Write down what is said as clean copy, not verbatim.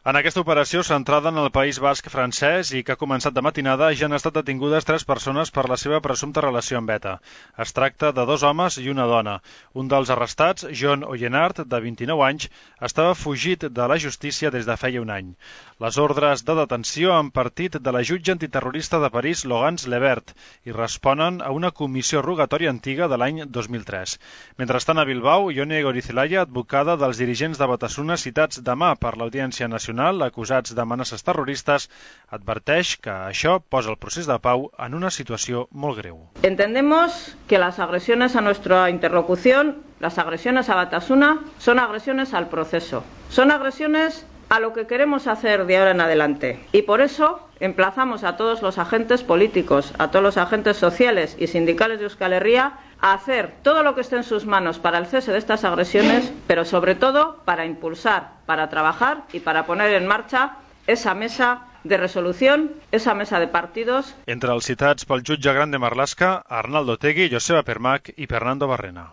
En aquesta operació, centrada en el País Basc francès i que ha començat de matinada, ja han estat detingudes 3 persones per la seva presumpta relació amb ETA. Es tracta de 2 homes i una dona. Un dels arrestats, John Oyenard, de 29 anys, estava fugit de la justícia des de feia un any. Les ordres de detenció han partit de la jutge antiterrorista de París, Laurence Lebert, i responen a una comissió rogatòria antiga de l'any 2003. Mentrestant, a Bilbao, Ione Goirizelaia, advocada dels dirigents de Batasuna citats demà per l'Audiència Nacional, acusats d'amenaces terroristes, adverteix que això posa el procés de pau en una situació molt greu. Entendemos que las agresiones a nuestra interlocución, las agresiones a Batasuna, son agresiones al proceso, son agresiones a lo que queremos hacer de ahora en adelante. Y por eso emplazamos a todos los agentes políticos, a todos los agentes sociales y sindicales de Euskal Herria a hacer todo lo que esté en sus manos para el cese de estas agresiones, pero sobre todo para impulsar, para trabajar y para poner en marcha esa mesa de resolución, esa mesa de partidos. Entre els citats pel jutge gran de Marlaska, Arnaldo Otegi, Joseba Permac i Fernando Barrena.